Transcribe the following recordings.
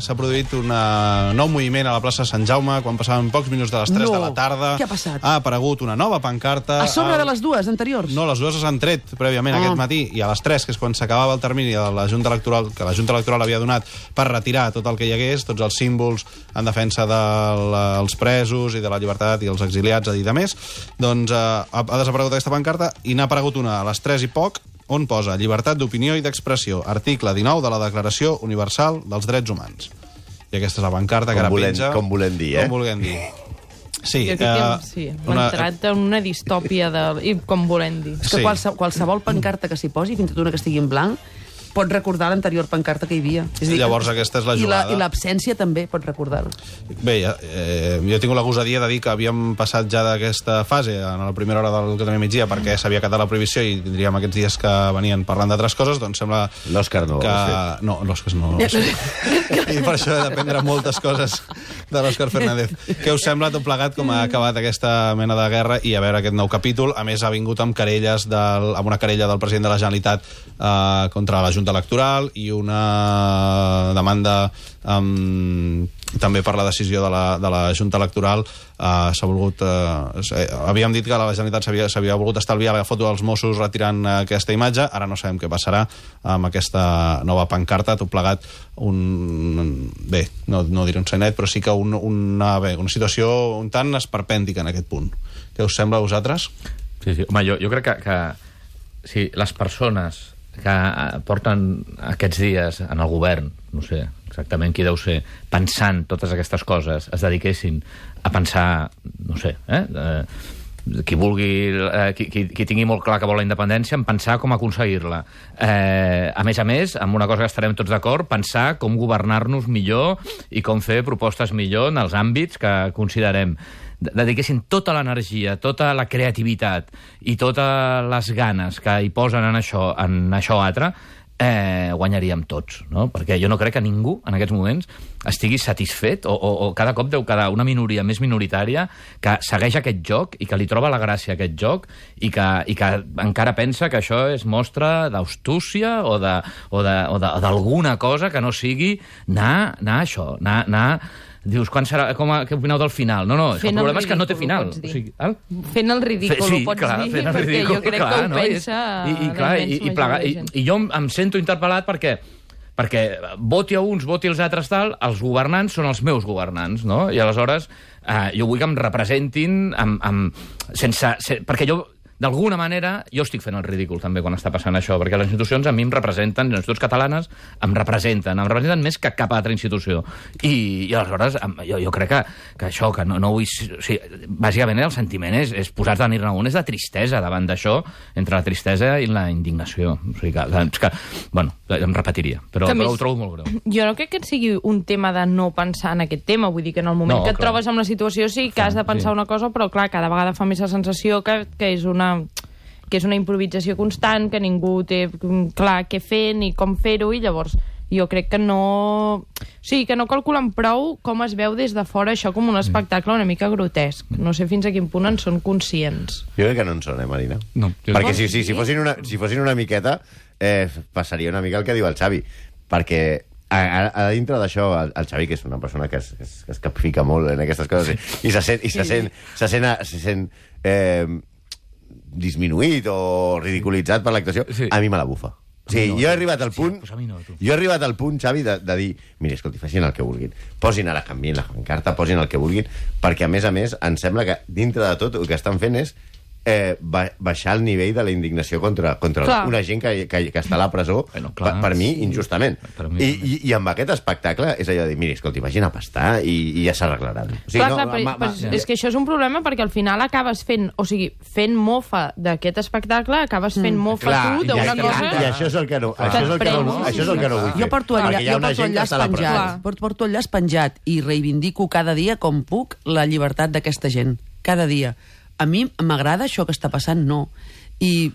S'ha produït un nou moviment a la plaça Sant Jaume quan passaven pocs minuts de les 3 de la tarda. Què ha passat? Ha aparegut una nova pancarta. A sobre de les dues anteriors? No, les dues s'han tret prèviament aquest matí, i a les 3, que és quan s'acabava el termini de la Junta Electoral, que la Junta Electoral havia donat per retirar tot el que hi hagués, tots els símbols en defensa dels presos i de la llibertat i els exiliats, a dir de més, doncs ha desaparegut aquesta pancarta i n'ha aparegut una a les 3 i poc, on posa llibertat d'opinió i d'expressió, article 19 de la Declaració Universal dels Drets Humans. I aquesta és la pancarta que ara penja... Com volem dir, Com volem dir. Sí, jo crec que hem entrat en una distòpia i com volem dir. És que qualsevol pancarta que s'hi posi, fins i tot una que estigui en blanc, pot recordar l'anterior pancarta que hi havia. És a dir, llavors aquesta és la jugada. I l'absència també pot recordar-ho. Bé, jo he tingut la gosadia de dir que havíem passat ja d'aquesta fase en la primera hora del que tenim migdia, perquè s'havia acatat la prohibició i tindríem aquests dies que venien parlant d'altres coses, doncs sembla... L'Òscar no. No, l'Òscar no. I per això he d'aprendre moltes coses de l'Òscar Fernández. Què us sembla tot plegat com ha acabat aquesta mena de guerra i a veure aquest nou capítol? A més, ha vingut amb querelles amb una querella del president de la Generalitat contra la Junta Electoral i una demanda també per la decisió de la Junta Electoral. S'ha volgut... havíem dit que la Generalitat s'havia volgut estalviar la foto dels Mossos retirant aquesta imatge. Ara no sabem què passarà amb aquesta nova pancarta. Tot plegat bé, no diré un senet, però sí que una situació un tant esperpèntica en aquest punt. Què us sembla a vosaltres? Sí. Home, jo crec que si les persones que porten aquests dies en el govern, no sé exactament qui deu ser, pensant totes aquestes coses, es dediquessin a pensar, no sé, qui vulgui, qui tingui molt clar que vol la independència, en pensar com aconseguir-la. A més, amb una cosa que estarem tots d'acord, pensar com governar-nos millor i com fer propostes millor en els àmbits que considerem. Dediquessin tota l'energia, tota la creativitat i totes les ganes que hi posen en això altre, guanyaríem tots, no? Perquè jo no crec que ningú en aquests moments estigui satisfet o cada cop deu quedar una minoria més minoritària que segueix aquest joc i que li troba la gràcia a aquest joc i que encara pensa que això és mostra d'astúcia o d'alguna cosa que no sigui anar a això, anar... Dius, què opineu del final? No, el problema és que no té final. Fent el ridícul, ho pots dir, perquè jo crec que ho pensa la immensa majoria de gent. I jo em sento interpel·lat perquè voti a uns, voti als altres tal, els governants són els meus governants, no? I aleshores jo vull que em representin perquè jo... D'alguna manera, jo estic fent el ridícul també quan està passant això, perquè les institucions a mi em representen, les institucions catalanes em representen més que cap altra institució. I aleshores jo crec que això, que no vull... O sigui, bàsicament el sentiment és posar-te a dir-ne un, és de tristesa davant d'això, entre la tristesa i la indignació. O sigui que bueno, em repetiria, però ho trobo molt greu. Jo no crec que sigui un tema de no pensar en aquest tema, vull dir que en el moment que et trobes en la situació sí que has de pensar una cosa, però clar, cada vegada fa més la sensació que és una improvisació constant, que ningú té clar què fer ni com fer-ho, i llavors jo crec que no... O sigui, que no calculen prou com es veu des de fora això com un espectacle una mica grotesc. No sé fins a quin punt en són conscients. Jo crec que no en són, Marina? No. Perquè si fossin una miqueta, passaria una mica el que diu el Xavi. Perquè a dintre d'això, el Xavi, que és una persona que es capfica molt en aquestes coses i se sent disminuït o ridiculitzat per l'actuació, a mi me la bufa. Jo he arribat al punt, Xavi, de dir, mira, escolti, facin el que vulguin, posin ara, canvien la pancarta, posin el que vulguin, perquè a més em sembla que dintre de tot el que estan fent és baixar el nivell de la indignació contra una gent que està a la presó, per mi, injustament. I amb aquest espectacle és allò de dir, mira, escolti, vagin a pastar i ja s'arreglaran. És que això és un problema perquè al final acabes fent mofa d'aquest espectacle, acabes fent mofa tu d'una cosa... I això és el que no vull fer. Jo porto el llaç penjat i reivindico cada dia com puc la llibertat d'aquesta gent. Cada dia. A mi m'agrada això que està passant? No. I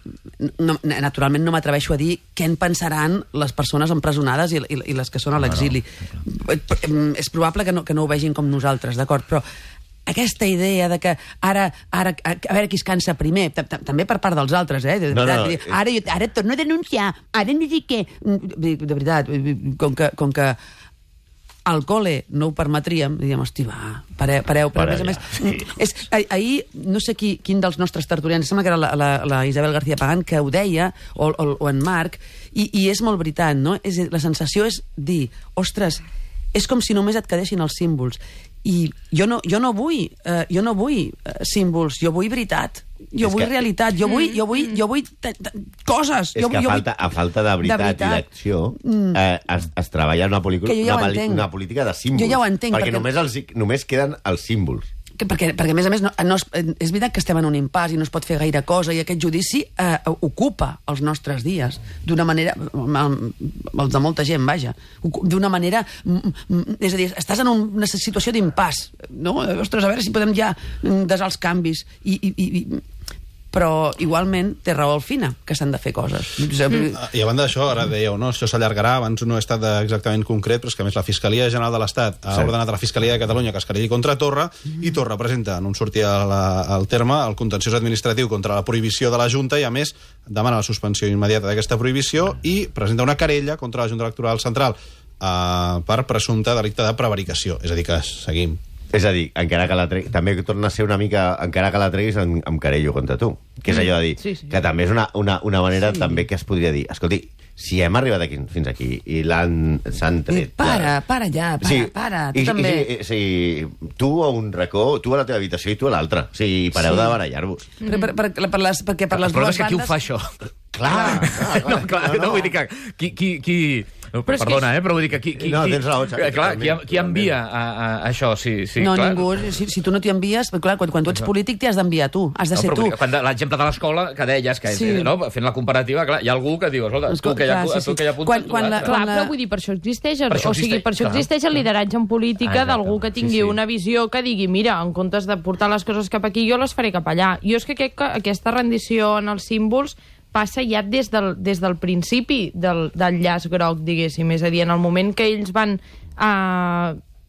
naturalment no m'atreveixo a dir què en pensaran les persones empresonades i les que són a l'exili. És probable que no ho vegin com nosaltres, d'acord? Però aquesta idea de que ara a veure qui es cansa primer, també per part dels altres, ara et torno a denunciar, ara no sé què. De veritat, com que al col·le no ho permetríem, diríem, hosti, va, pareu, però a més a més... Ahir, no sé quin dels nostres tertulians, sembla que era la Isabel García Pagán, que ho deia, o en Marc, i és molt veritat, no? La sensació és dir, ostres, és com si només et quedessin els símbols. I jo no vull símbols, jo vull veritat, jo vull realitat, jo vull coses. És que a falta de veritat i d'acció es treballa una política de símbols. Jo ja ho entenc. Perquè només queden els símbols. Perquè a més, és veritat que estem en un impàs i no es pot fer gaire cosa, i aquest judici ocupa els nostres dies d'una manera, els de molta gent, vaja, d'una manera, és a dir, estàs en una situació d'impàs, no? Ostres, a veure si podem ja desar els canvis, però igualment té raó el Fina, que s'han de fer coses. I a banda d'això, ara dèieu, no? Això s'allargarà, abans no he estat exactament concret, però és que a més la Fiscalia General de l'Estat ha ordenat a la Fiscalia de Catalunya que es querelli contra Torra, i Torra presenta, no em sortia el terme, el contenciós administratiu contra la prohibició de la Junta, i a més demana la suspensió immediata d'aquesta prohibició i presenta una querella contra la Junta Electoral Central per presumpte delicte de prevaricació. És a dir, que seguim. És a dir, encara que la treguis, també torna a ser una mica, encara que la treguis, em querello contra tu. Que és allò de dir, que també és una manera també que es podria dir, escolti, si hem arribat fins aquí i s'han tret... Para ja, tu també. Sí, tu a un racó, tu a la teva habitació i tu a l'altra. Sí, pareu de barallar-vos. Perquè per les dues bandes... El problema és que qui ho fa, això? Clar, no vull dir que... Qui... Perdona, però vull dir que no, tens raó, clar, qui envia a això? No, ningú. Si tu no t'hi envies, clar, quan tu ets polític t'hi has d'enviar tu, has de ser tu. L'exemple de l'escola que deies, que fent la comparativa, clar, hi ha algú que diu, escolta, tu que ja apuntes... Clar, però vull dir, per això existeix el lideratge en política d'algú que tingui una visió que digui, mira, en comptes de portar les coses cap aquí, jo les faré cap allà. Jo és que crec que aquesta rendició en els símbols passa ja des del principi del llaç groc, diguéssim. És a dir, en el moment que ells van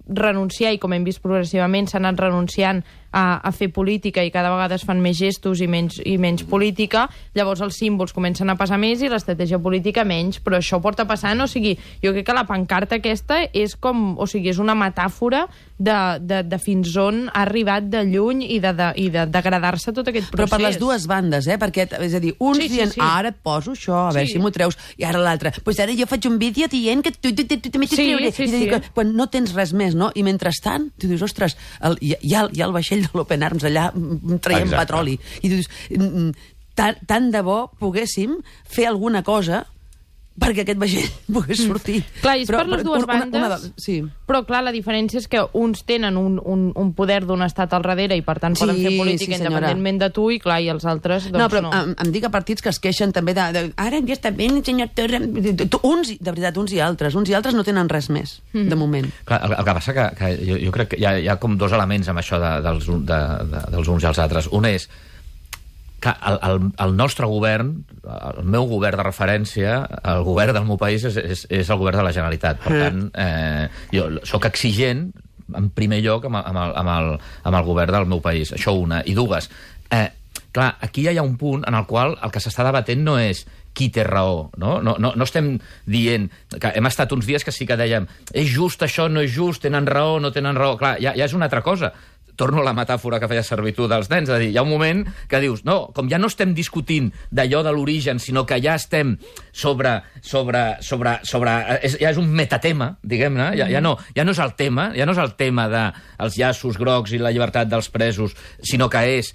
renunciar, i com hem vist progressivament s'han anat renunciant a fer política i cada vegada es fan més gestos i menys política, llavors els símbols comencen a passar més i l'estratègia política menys, però això porta passant, o sigui, jo crec que la pancarta aquesta és com, o sigui, és una metàfora de fins on ha arribat de lluny i de degradar-se tot aquest procés. Però per les dues bandes, perquè, és a dir, uns dient, ara et poso això, a veure si m'ho treus, i ara l'altre, doncs ara jo faig un vídeo dient que tu també t'hi treuré. Quan no tens res més, no? I mentrestant, tu dius, ostres, hi ha el vaixell de l'Open Arms allà traient petroli. I dius, tant de bo poguéssim fer alguna cosa perquè aquest vaixell pogués sortir. Clar, és per les dues bandes, però clar, la diferència és que uns tenen un poder d'un estat al darrere i per tant poden fer política independentment de tu, i clar, i els altres doncs no. Però em dic a partits que es queixen també de ara ja està bé, senyor Torra, uns, de veritat, uns i altres no tenen res més, de moment. Clar, el que passa que jo crec que hi ha com dos elements amb això dels uns i els altres. Un és que el nostre govern, el meu govern de referència, el govern del meu país és el govern de la Generalitat. Per tant, jo sóc exigent, en primer lloc, amb el govern del meu país. Això una. I dues, clar, aquí hi ha un punt en el qual el que s'està debatent no és qui té raó, no? No estem dient que hem estat uns dies que sí que dèiem és just això, no és just, tenen raó, no tenen raó. Clar, ja és una altra cosa. Torno a la metàfora que feia servir tu dels nens, és a dir, hi ha un moment que dius, no, com ja no estem discutint d'allò de l'origen, sinó que ja estem ja és un metatema, diguem-ne, ja no és el tema, dels llaços grocs i la llibertat dels presos, sinó que és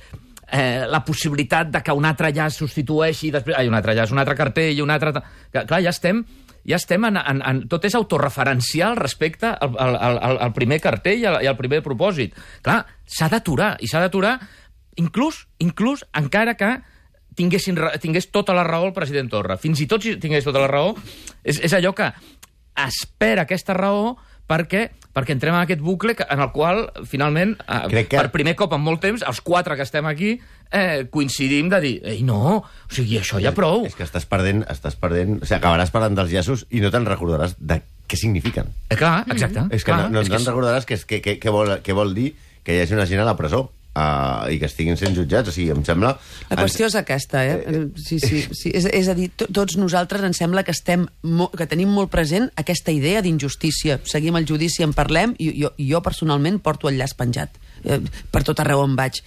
la possibilitat de que un altre llaç substitueixi, un altre llaç, un altre cartell, un altre... Clar, ja estem tot és autorreferencial respecte al primer cartell i al primer propòsit. Clar, s'ha d'aturar, i s'ha d'aturar inclús encara que tingués tota la raó el president Torra. Fins i tot si tingués tota la raó, és allò que espera aquesta raó perquè entrem en aquest bucle en el qual, finalment, per primer cop en molt temps, els quatre que estem aquí coincidim de dir, ei, no, o sigui, això ja prou. És que estàs perdent, o sigui, acabaràs parlant dels llaços i no te'n recordaràs de què signifiquen. Clar, exacte. És que no te'n recordaràs què vol dir que hi hagi una gent a la presó. i que estiguin sent jutjats. O sigui, em sembla... La qüestió és aquesta, Sí. És a dir, tots nosaltres ens sembla que que tenim molt present aquesta idea d'injustícia. Seguim el judici, en parlem, i jo personalment porto el llaç penjat per tot arreu on vaig.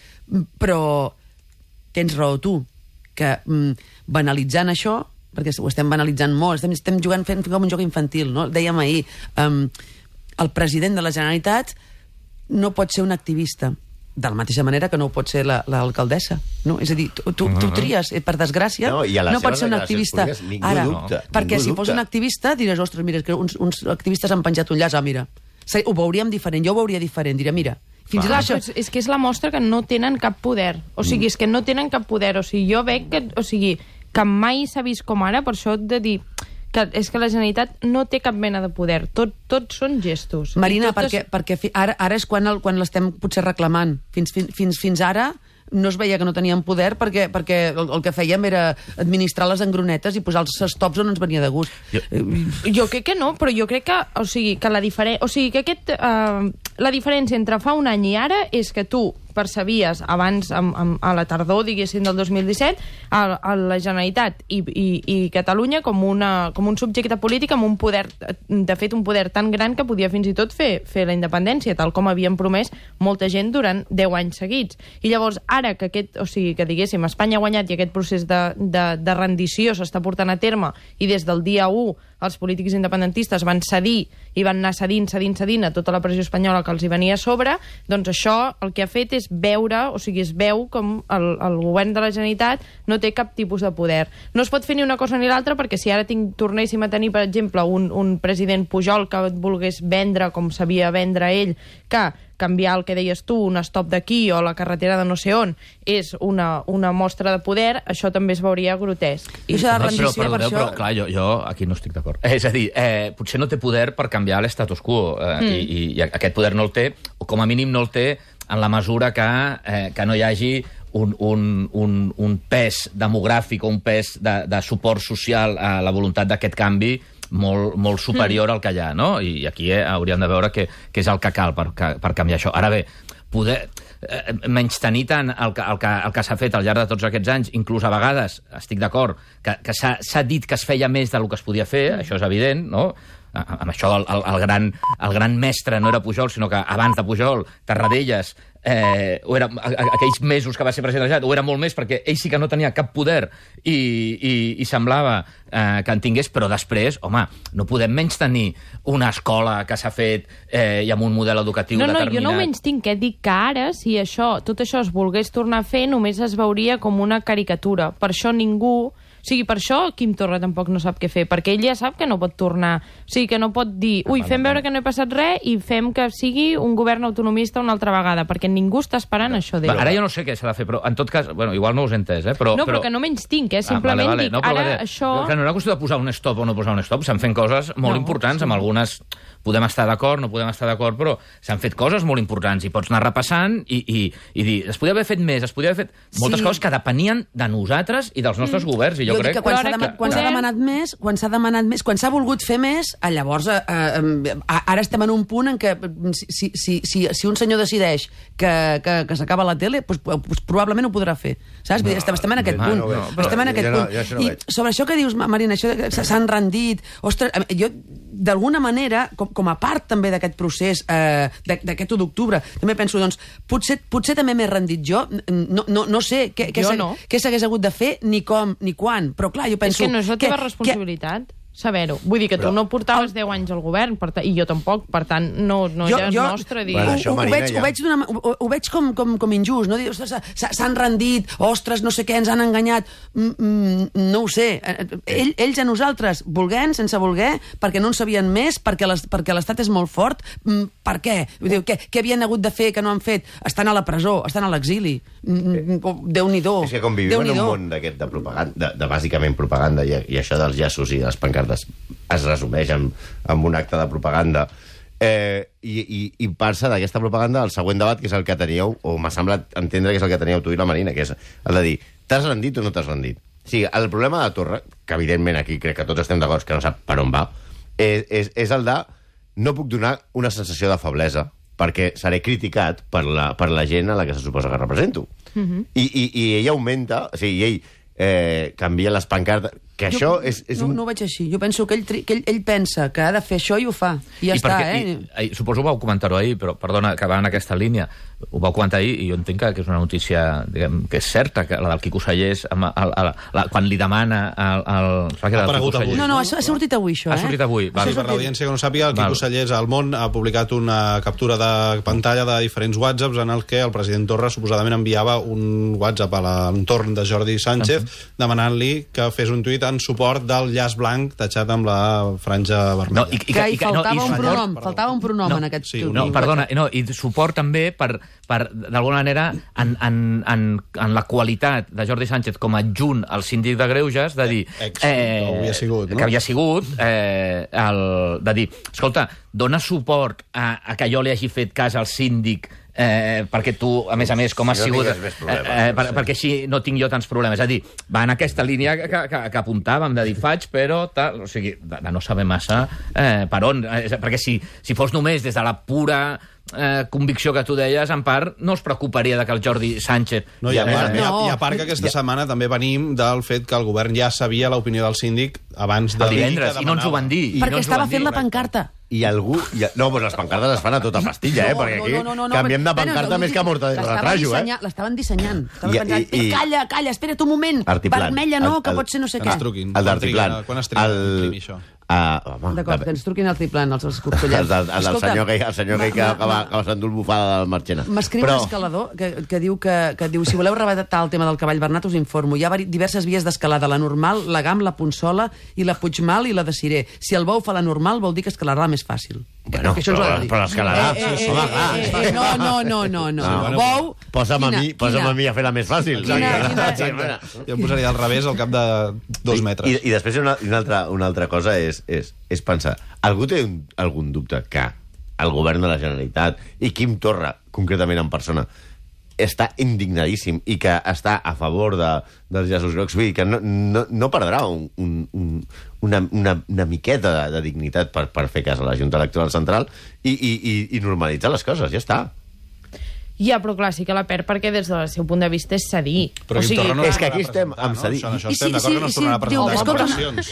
Però tens raó tu, que banalitzant això, perquè ho estem banalitzant molt, estem jugant fent com un joc infantil, no? Dèiem ahir, el president de la Generalitat no pot ser un activista, de la mateixa manera que no ho pot ser l'alcaldessa, no? És a dir, tu tries, per desgràcia, no pot ser un activista ara, perquè si fos un activista diràs, ostres, mira, que uns activistes han penjat un llaç, mira, ho veuríem diferent, jo ho veuria diferent, diria, mira, fins i tot això... És que és la mostra que no tenen cap poder, o sigui, és que no tenen cap poder, o sigui, jo veig que mai s'ha vist com ara, per això de dir que és que la Generalitat no té cap mena de poder. Tots són gestos. Marina, perquè ara és quan l'estem potser reclamant. Fins ara no es veia que no teníem poder perquè el que fèiem era administrar les engronetes i posar els stops on ens venia de gust. Jo crec que no, però jo crec que, la diferència entre fa un any i ara és que tu percebies abans, a la tardor, diguéssim, del 2017, a la Generalitat i Catalunya com un subjecte polític amb un poder, de fet, un poder tan gran que podia fins i tot fer la independència, tal com havien promès molta gent durant 10 anys seguits. I llavors, ara que que diguéssim, Espanya ha guanyat i aquest procés de rendició s'està portant a terme i des del dia 1 els polítics independentistes van cedir i van anar cedint a tota la pressió espanyola que els hi venia a sobre, doncs això el que ha fet és veure, es veu com el govern de la Generalitat no té cap tipus de poder. No es pot fer ni una cosa ni l'altra, perquè si ara tornéssim a tenir, per exemple, un president Pujol que volgués vendre, com sabia vendre ell, que canviar el que deies tu, un stop d'aquí o la carretera de no sé on, és una mostra de poder, això també es veuria grotesc. Però clar, jo aquí no estic d'acord. És a dir, potser no té poder per canviar l'estatus quo, i aquest poder no el té, o com a mínim no el té en la mesura que no hi hagi un pes demogràfic o un pes de suport social a la voluntat d'aquest canvi molt superior al que hi ha, no? I aquí hauríem de veure què és el que cal per canviar això. Ara bé, poder menystenir tant el que s'ha fet al llarg de tots aquests anys, inclús a vegades, estic d'acord, que s'ha dit que es feia més del que es podia fer, això és evident, no? Amb això el gran mestre no era Pujol, sinó que abans de Pujol, Tarradellas, aquells mesos que va ser president de la Generalitat, ho era molt més perquè ell sí que no tenia cap poder i semblava que en tingués, però després, home, no podem menystenir una escola que s'ha fet i amb un model educatiu determinat. Jo no ho menystinc, dic que ara, si tot això es volgués tornar a fer, només es veuria com una caricatura. Per això ningú... per això Quim Torra tampoc no sap què fer, perquè ell ja sap que no pot tornar, que no pot dir, fem veure que no he passat res i fem que sigui un govern autonomista una altra vegada, perquè ningú està esperant això d'ell. Ara jo no sé què s'ha de fer, però en tot cas, igual no us he entès, però... No, però que no menys tinc, simplement dic, ara això... Que no era qüestió de posar un stop o no posar un stop, s'han fet coses molt importants, amb algunes podem estar d'acord, no podem estar d'acord, però s'han fet coses molt importants i pots anar repassant i dir, es podia haver fet més, es podia haver fet moltes coses que depenien de nosaltres i dels nostres governs, i jo crec que quan s'ha demanat més, quan s'ha volgut fer més, llavors ara estem en un punt en què si un senyor decideix que s'acaba la tele, doncs probablement ho podrà fer, saps? Estem en aquest punt. Estem en aquest punt. I sobre això que dius, Marina, això que s'han rendit, ostres, jo d'alguna manera, com a part també d'aquest procés d'aquest 1 d'octubre, també penso, doncs, potser també m'he rendit jo, no sé què s'hagués hagut de fer, ni com, ni quan, però clar, jo penso... És que no és la teva responsabilitat saber-ho. Vull dir que tu no portaves 10 anys al govern, i jo tampoc, per tant, no ja és nostre dir... Ho veig com injust, no? S'han rendit, ostres, no sé què, ens han enganyat. No ho sé. Ells a nosaltres, volent, sense voler, perquè no en sabien més, perquè l'Estat és molt fort. Per què? Què havien hagut de fer que no han fet? Estan a la presó, estan a l'exili. Déu-n'hi-do. És que com vivim en un món d'aquest de propaganda, de bàsicament propaganda, i això dels llaços i les pancartes es resumeix amb un acte de propaganda, i passa d'aquesta propaganda al següent debat, que és el que teníeu, o m'ha semblat entendre que és el que teníeu tu i la Marina, que és el de dir, t'has rendit o no t'has rendit? Sí, el problema de Torra, que evidentment aquí crec que tots estem d'acord que no sap per on va, és el de no puc donar una sensació de feblesa perquè seré criticat per la gent a la que se suposa que represento. I ell augmenta, o sigui, ell canvia les pancartes, que això és un... No ho veig així. Jo penso que ell pensa que ha de fer això i ho fa. I ja està, suposo que vau comentar-ho ahir, però perdona, que va en aquesta línia. Ho vau comentar ahir i jo entenc que és una notícia, diguem, que és certa, que la del Quico Sallés, quan li demana el... Ha aparegut avui. No, ha sortit avui, això, Ha sortit avui. Per l'audiència que no sàpiga, el Quico Sallés al Món ha publicat una captura de pantalla de diferents whatsapps en el que el president Torra suposadament enviava un whatsapp a l'entorn de Jordi Sánchez demanant-li que fes un tuit en suport del llaç blanc tachat amb la franja vermella. Faltava un pronom en aquest tuit. Perdona, i suport també per d'alguna manera, en la qualitat de Jordi Sánchez com a adjunt al síndic de Greuges, de dir... que havia sigut, de dir, escolta, dona suport a que jo li hagi fet cas al síndic perquè tu, a més, com has sigut... perquè així no tinc jo tants problemes. És a dir, va en aquesta línia que apuntàvem, de dir, faig, però... O sigui, de no saber massa per on. Perquè si fos només des de la pura convicció que tu deies, en part, no us preocuparia de que el Jordi Sánchez... I a part que aquesta setmana també venim del fet que el govern ja sabia l'opinió del síndic abans de... El divendres, i no ens ho van dir. Perquè estava fent la pancarta. I algú... No, doncs les pancartes es fan a tota pastilla, perquè aquí canviem de pancarta més que Mortadelo de Trajo, L'estaven dissenyant. Calla, espera't un moment. Vermella no, que pot ser no sé què. El d'Artiplan. Quan es triga a imprimir això? D'acord, que ens truquin al Triplan, els escorcollers. El senyor que acaba s'endú el bufada del Marchena. M'escriu un escalador que diu, si voleu rebatar el tema del cavall Bernat, us informo. Hi ha diverses vies d'escalada, la normal, la GAM, la Punsola, i la Puigmal i la de Ciré. Si el Bou fa la normal, vol dir que escalarà més fàcil. Bueno, però l'escalarà. No. Bou... Posa'm a mi a fer la més fàcil. Jo em posaria al revés al cap de 2 metres. I després una altra cosa és pensar, algú té algun dubte que el govern de la Generalitat i Quim Torra, concretament en persona, està indignadíssim i que està a favor dels llaços grocs? Vull dir que no perdrà una miqueta de dignitat per fer cas a la Junta Electoral Central i normalitzar les coses, ja està. Ja, però clar, sí que la perd perquè des del seu punt de vista és cedir. Però és que aquí estem amb cedir. Això estem d'acord que no es tornarà a presentar eleccions.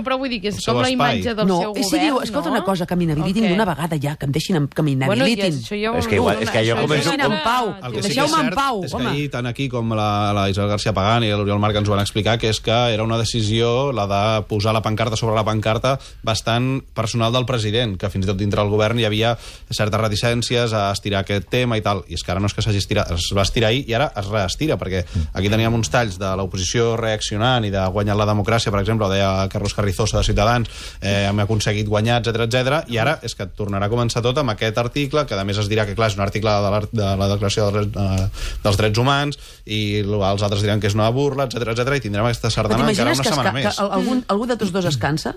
Però vull dir que és com la imatge del seu govern. Si diu, escolta una cosa, que m'inhabilitin d'una vegada ja, que em deixin que m'inhabilitin. És que jo començo... Deixeu-me en pau. És que ahir, tant aquí com la Isabel García Pagán i l'Oriol Marc ens ho van explicar, que és que era una decisió, la de posar la pancarta sobre la pancarta, bastant personal del president, que fins i tot dintre del govern hi havia certes reticències a estirar aquest tema i tal. I és que ara no és que s'hagi estirat, es va estirar ahir i ara es reestira, perquè aquí teníem uns talls de l'oposició reaccionant i de guanyar la democràcia, per exemple, ho deia Carlos Carrizosa de Ciutadans, hem aconseguit guanyar, etc. I ara és que tornarà a començar tot amb aquest article, que a més es dirà que clar, és un article de la Declaració dels Drets Humans, i els altres diran que és una burla, etc. I tindrem aquesta sardana encara una setmana més. Algú de tots dos es cansa?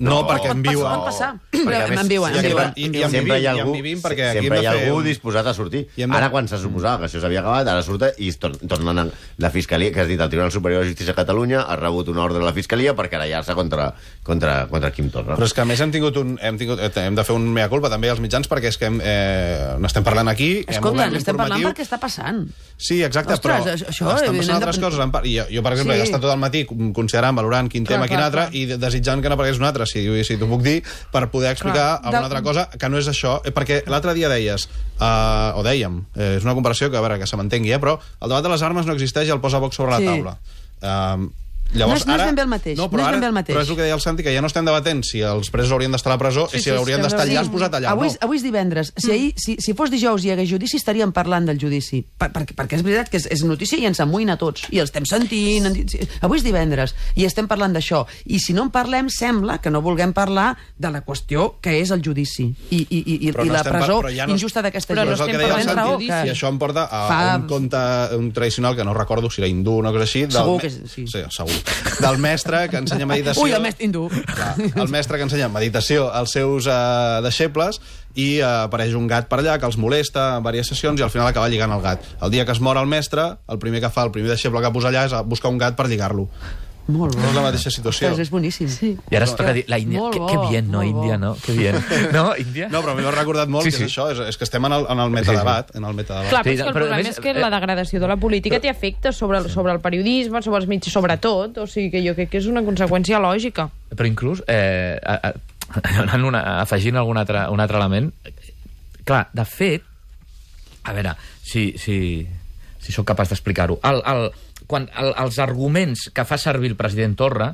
No, perquè en viuen. Sempre hi ha algú disposat a sortir. Ara, quan se suposava que això s'havia acabat, ara surt i tornen a la Fiscalia, que has dit, el Tribunal Superior de Justícia de Catalunya ha rebut una ordre de la Fiscalia per querellar-se contra Quim Torra. Però és que a més hem de fer un mea culpa també als mitjans, perquè és que n'estem parlant aquí. Escolta, n'estem parlant perquè està passant. Sí, exacte, però estan passant altres coses. Jo, per exemple, he estat tot el matí considerant, valorant quin tema, quin altre, i desitjant que n'aparegués un altre, si t'ho puc dir, per poder explicar alguna altra cosa que no és això, perquè l'altre dia deies, o dèiem, és una comparació que, a veure, que se m'entengui, però el debat de les armes no existeix i el posa Vox sobre la taula. Llavors, no és ben bé el mateix. Però és el que deia el Santi, que ja no estem debatent si els presos haurien d'estar a la presó i si haurien d'estar allà posat allà. Avui és divendres. Si fos dijous i hi hagués judici, estaríem parlant del judici. Perquè és veritat que és notícia i ens amoïna a tots. I els estem sentint. Avui és divendres i estem parlant d'això. I si no en parlem, sembla que no vulguem parlar de la qüestió que és el judici i la presó injusta d'aquesta gent. Però és el que deia el Santi, i això em porta a un conte tradicional que no recordo si era hindú o una cosa així. Segur que sí. Sí, segur. Del mestre que ensenya meditació... Ui, el mestre hindú. El mestre que ensenya meditació als seus deixebles i apareix un gat per allà que els molesta en diverses sessions i al final acaba lligant el gat. El dia que es mor el mestre, el primer deixeble que posa allà és buscar un gat per lligar-lo. Molt bo. És la mateixa situació. Ostres, és boníssim. Sí. I ara es toca dir, la Índia, que bien, no, Índia, no? Que bien. No, Índia? No, però a mi m'ha recordat molt que és això, és que estem en el metadebat. Clar, però és que el problema és que la degradació de la política té efectes sobre el periodisme, sobre els mitjans, sobre tot, o sigui que jo crec que és una conseqüència lògica. Però inclús, afegint un altre element, clar, de fet, a veure, si sóc capaç d'explicar-ho, quan els arguments que fa servir el president Torra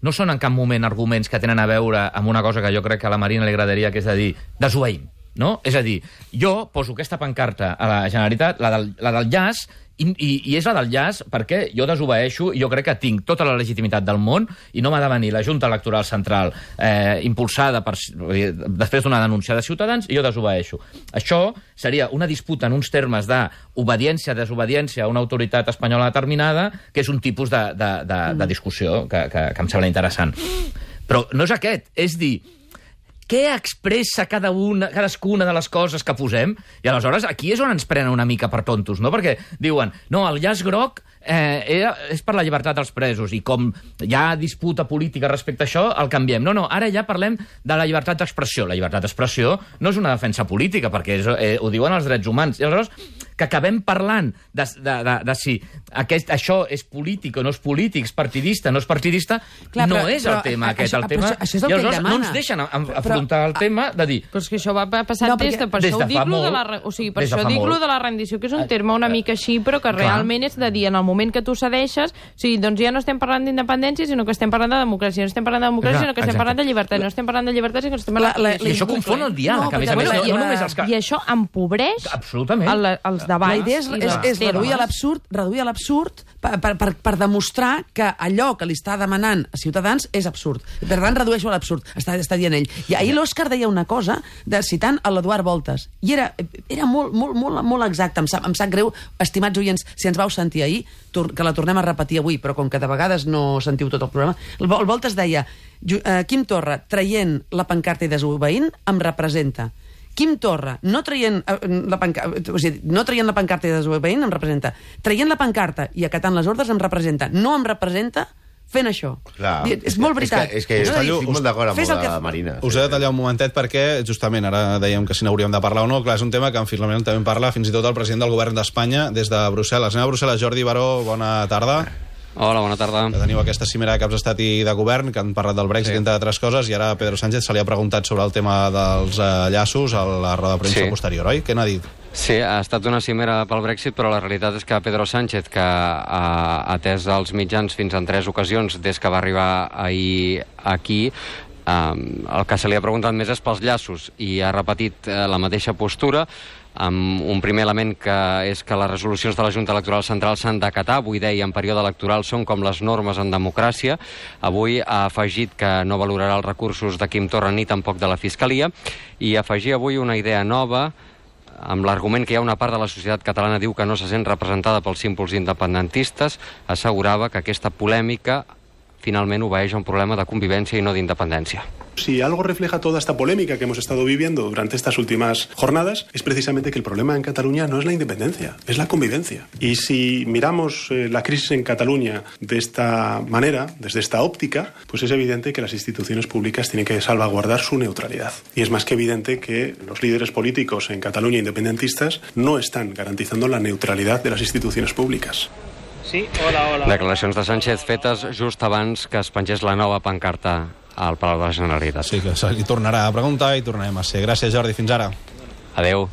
no són en cap moment arguments que tenen a veure amb una cosa que jo crec que a la Marina li agradaria, que és a dir, desobeïm, no? És a dir, jo poso aquesta pancarta a la Generalitat, la del llaç, i és la del llaç perquè jo desobeeixo i jo crec que tinc tota la legitimitat del món i no m'ha de venir la Junta Electoral Central impulsada després d'una denúncia de Ciutadans i jo desobeeixo. Això seria una disputa en uns termes d'obediència, desobediència a una autoritat espanyola determinada, que és un tipus de discussió que em sembla interessant. Però no és aquest, és dir, què expressa cadascuna de les coses que posem? I aleshores aquí és on ens prenen una mica per tontos, no? Perquè diuen, no, el llaç groc és per la llibertat dels presos i com hi ha disputa política respecte a això, el canviem. No, ara ja parlem de la llibertat d'expressió. La llibertat d'expressió no és una defensa política, perquè ho diuen els drets humans. I aleshores que acabem parlant de si això és polític o no és polític, és partidista, no és partidista, no és el tema aquest. I aleshores no ens deixen afrontar el tema de dir... Però és que això va passar per això dic-lo de la rendició, que és un terme una mica així, però que realment és de dir, en el moment que tu cedeixes, doncs ja no estem parlant d'independència, sinó que estem parlant de democràcia, no estem parlant de democràcia, sinó que estem parlant de llibertat, no estem parlant de llibertat, sinó que estem parlant... I això confon el diàleg, a més a més. I això empobreix els debats. La idea és reduir a l'absurd per demostrar que allò que li està demanant a Ciutadans és absurd. Per tant, redueixo a l'absurd, està dient ell. I ahir l'Òscar deia una cosa, citant l'Eduard Voltes, i era molt exacte. Em sap greu, estimats oients, si ens vau sentir ahir, que la tornem a repetir avui, però com que de vegades no sentiu tot el programa, el Voltes deia, Quim Torra, traient la pancarta i desobeint, em representa. Quim Torra, no traient la pancarta i desobeint, em representa. Traient la pancarta i acatant les ordres, em representa. No em representa fent això. Clar, és molt veritat. És que estic molt d'acord amb la Marina. Us he de tallar un momentet perquè, justament, ara dèiem que si n'hauríem de parlar o no. Clar, és un tema que en Filament també en parla fins i tot el president del govern d'Espanya des de Brussel·les. Anem a Brussel·les. Jordi Baró, bona tarda. Hola, bona tarda. Teniu aquesta cimera de caps d'estat i de govern que han parlat del Brexit, entre altres coses, i ara a Pedro Sánchez se li ha preguntat sobre el tema dels llaços a la roda de premsa posterior, oi? Què n'ha dit? Sí, ha estat una cimera pel Brexit, però la realitat és que Pedro Sánchez, que ha atès els mitjans fins en 3 ocasions des que va arribar ahir aquí, el que se li ha preguntat més és pels llaços i ha repetit la mateixa postura, amb un primer element que és que les resolucions de la Junta Electoral Central s'han d'acatar. Avui deia, en període electoral són com les normes en democràcia. Avui ha afegit que no valorarà els recursos de Quim Torra ni tampoc de la Fiscalia, i afegir avui una idea nova amb l'argument que hi ha una part de la societat catalana diu que no se sent representada pels símbols independentistes. Assegurava que aquesta polèmica finalment obeeix a un problema de convivència i no d'independència. Si algo refleja toda esta polémica que hemos estado viviendo durante estas últimas jornadas, es precisamente que el problema en Cataluña no es la independencia, es la convivencia. Y si miramos la crisis en Cataluña de esta manera, desde esta óptica, pues es evidente que las instituciones públicas tienen que salvaguardar su neutralidad. Y es más que evidente que los líderes políticos en Cataluña independentistas no están garantizando la neutralidad de las instituciones públicas. Sí, hola. Declaracions de Sánchez fetes just abans que es pengés la nova pancarta al Palau de la Generalitat. Sí, que se li tornarà a preguntar i tornarem a ser. Gràcies, Jordi. Fins ara. Adeu.